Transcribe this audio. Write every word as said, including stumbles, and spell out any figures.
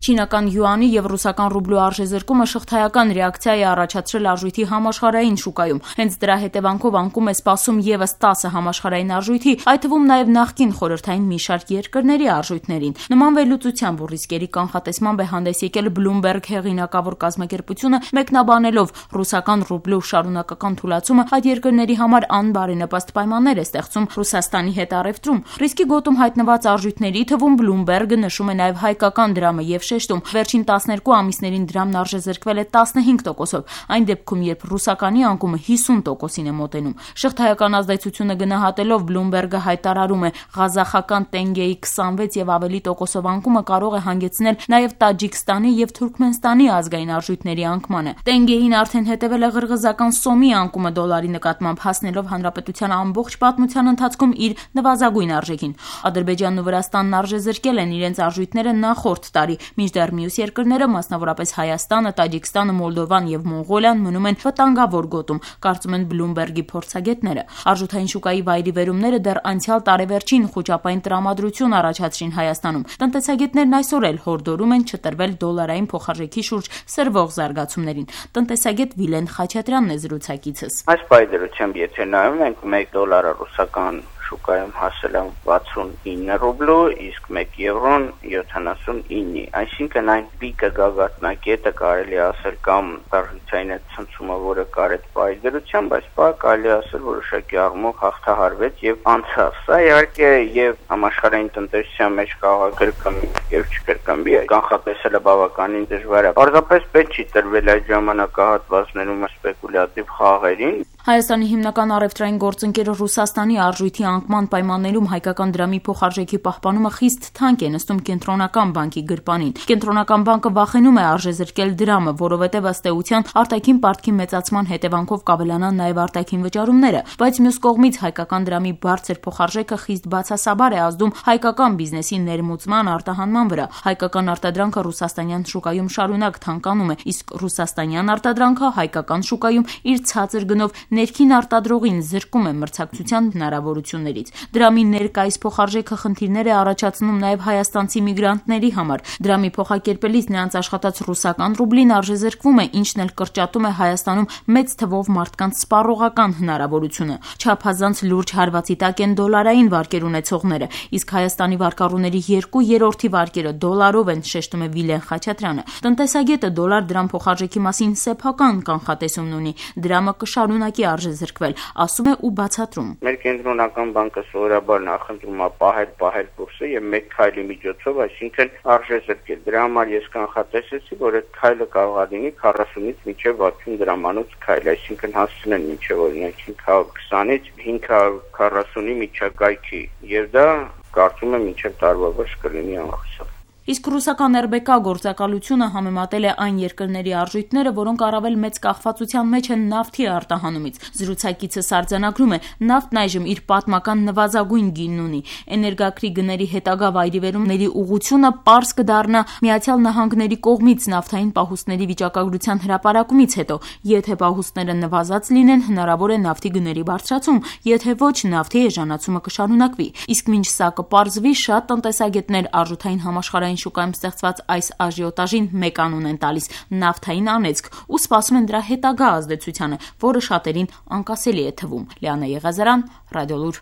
Չինական յուանի եւ ռուսական ռուբլու արժեզրկումը շղթայական ռեակցիա է առաջացրել արժույթի համաշխարհային շուկայում։ Հենց դրա հետևանքով անկում է սպասում եւս տասը համաշխարհային արժույթի, այդ թվում նաեւ նախկին խորհրդային մի շարք երկրների արժույթներին։ Նման վերլուծությամբ ու ռիսկերի կանխատեսմամբ է հանդես եկել Bloomberg հեղինակավոր կազմակերպությունը, մեկնաբանելով ռուսական ռուբլու շարունակական թուլացումը այդ երկրների համար անբարենպաստ պայմաններ է ստեղծում Ռուսաստանի հետ առևտրում։ Ռիսկի գոտում հայտնված արժույթների թվում Bloomberg-ը նշում է նաեւ հայկական դրամը եւ շեշտում վերջին տասներկու ամիսներին դրամն արժեզրկվել է տասնհինգ տոկոսով, այն դեպքում երբ ռուսականի անկումը հիսուն տոկոսին է մոտենում։ Շղթայական ազդեցությունը գնահատելով Bloomberg-ը հայտարարում է ղազախական տենգեի քսանվեց եւ ավելի տոկոսով անկումը կարող է հանգեցնել նաեւ Տաջիկստանի եւ Թուրքմենստանի ազգային արժույթների անկմանը։ Տենգեին արդեն հետևել է ղրղզական սոմի անկումը դոլարի նկատմամբ, հասնելով հանրապետության ամբողջ պատմության ընթացքում իր նվազագույն արժեքին։ Ադրբեջանն ու Վրաստանն արժեզրկել են իրենց արժույթները նախորդ տարի, մինչդեռ մյուս երկրները, մասնավորապես Հայաստանը, Տաջիկստանը, Մոլդովան եւ Մոնղոլիան մնում են վտանգավոր գոտում, կարծում են Bloomberg-ի փորձագետները։ Արժութային շուկայի վայրիվերումները դեռ անցյալ տարեվերջին խոճապային տրամադրություն առաջացրին Հայաստանում։ Տնտեսագետներն այսօր էլ հորդորում են չտրվել դոլարային փոխարժեքի շուրջ սրվող զարգացումներին։ Տնտեսագետ Վիլեն Խաչատրյանն է զրուցակիցս։ Այս պայմաններությամբ եթե նայում ենք մեկ դոլարը ռուսական շուկայում հասել է վաթսունինը ռուբլու, իսկ մեկ եվրոն յոթանասունինի, այսինքն այն պիկը գագաթնակետը կարելի ասել կամ արժութային այդ ցնցումը, որը կար այդ պայմաններությամբ, այս պահ կարելի ասել որոշակի առումով հաղթահարվեց եւ անցավ։ Սա իհարկե եւ համաշխարհային տնտեսության մեջ կարող է կրկնվի եւ չկրկնվի, կանխատեսելը բավականին դժվար է։ Պարզապես պետք չի տրվել այդ ժամանակահատվածներում սպեկուլյատիվ խաղերին։ Հայաստանի հիմնական առևտրային գործընկերը Ռուսաստանի արժույթի անկման պայմաններում հայկական դրամի փոխարժեքի պահպանումը խիստ թանկ է նստում Կենտրոնական բանկի գրպանին։ Կենտրոնական բանկը վախենում է արժեզրկել դրամը, որովհետև ըստ էության արտաքին պարտքի մեծացման հետևանքով կավելանան նաև արտաքին վճարումները, բայց մյուս կողմից հայկական դրամի բարձր փոխարժեքը խիստ բացասաբար է ազդում հայկական բիզնեսի ներմուծման արտահանման վրա։ Հայկական արտադրանքը ռուսաստանյան շուկայում շարունակ թանկանում է, իսկ ռուսաստանյան արտադրանքը հայկական շուկայում իր ցածր գնով ներքին արտադրողին զրկում է մրցակցության հնարավորություններից։ Դրամի ներկայիս փոխարժեքը խնդիրներ է առաջացնում նաև հայաստանցի միգրանտների համար։ Դրամի փոխակերպելիս նրանց աշխատած ռուսական ռուբլին արժեզրկվում է, ինչն էլ կրճատում է Հայաստանում մեծ թվով մարդկանց սպառողական հնարավորությունը։ Չափազանց լուրջ հարվածի տակ են դոլարային վարկեր ունեցողները, իսկ Հայաստանի վարկառուների երկու երրորդի վարկերը դոլարով են, շեշտում է Վիլեն Խաչատրյանը։ Տնտեսագետը դոլար-դրամ փոխարժեքի մասին սեփական կանխատեսումն ունի։ Դրամը կշարունակի արժեզրկվել, ասում է ու բացատրում։ Մեր կենտրոնական բանկը սովորաբար նախընտրում է պահել պահել կուրսը եւ մեկ քայլի միջոցով, այսինքն արժեզրկել։ Դրա համար ես կանխատեսեցի, որ այդ քայլը կարող է լինի քառասունից մինչեւ վաթսուն դրամանոց քայլ, այսինքն հասցնեն մինչեւ օրինակ հինգ հարյուր քսանից հինգ հարյուր քառասունի միջակայքի, եւ դա կարծում եմ մինչեւ տարվա վերջ կլինի անխուսափ։ Իսկ ռուսական эр բե կա գործակալությունը համեմատել է այն երկրների արժույթները, որոնք առավել մեծ կախվածության մեջ են նավթի արտահանումից։ Զրուցակիցս արձանագրում է, նավթն այժմ իր պատմական նվազագույն գինն ունի։ Էներգակրի գների հետագա վայրիվերումների ուղղությունը պարզ կդառնա Միացյալ Նահանգների կողմից նավթային պահուստների վիճակագրության հրապարակումից հետո։ Եթե պահուստները նվազած լինեն, հնարավոր է նավթի գների բարձրացում, եթե ոչ, նավթի էժանացումը կշարունակվի։ Իսկ մինչ սա կպարզվի, շատ տնտեսագետներ արժութային համաշխարհային շուկայում ստեղծված այս աժիոտաժին մեկ անուն են տալիս՝ նավթային անեծք, ու սպասում են դրա հետագա ազդեցությանը, որը շատերին անկասելի է թվում։ Լիանա Եղազարյան, Ռադիոլուր։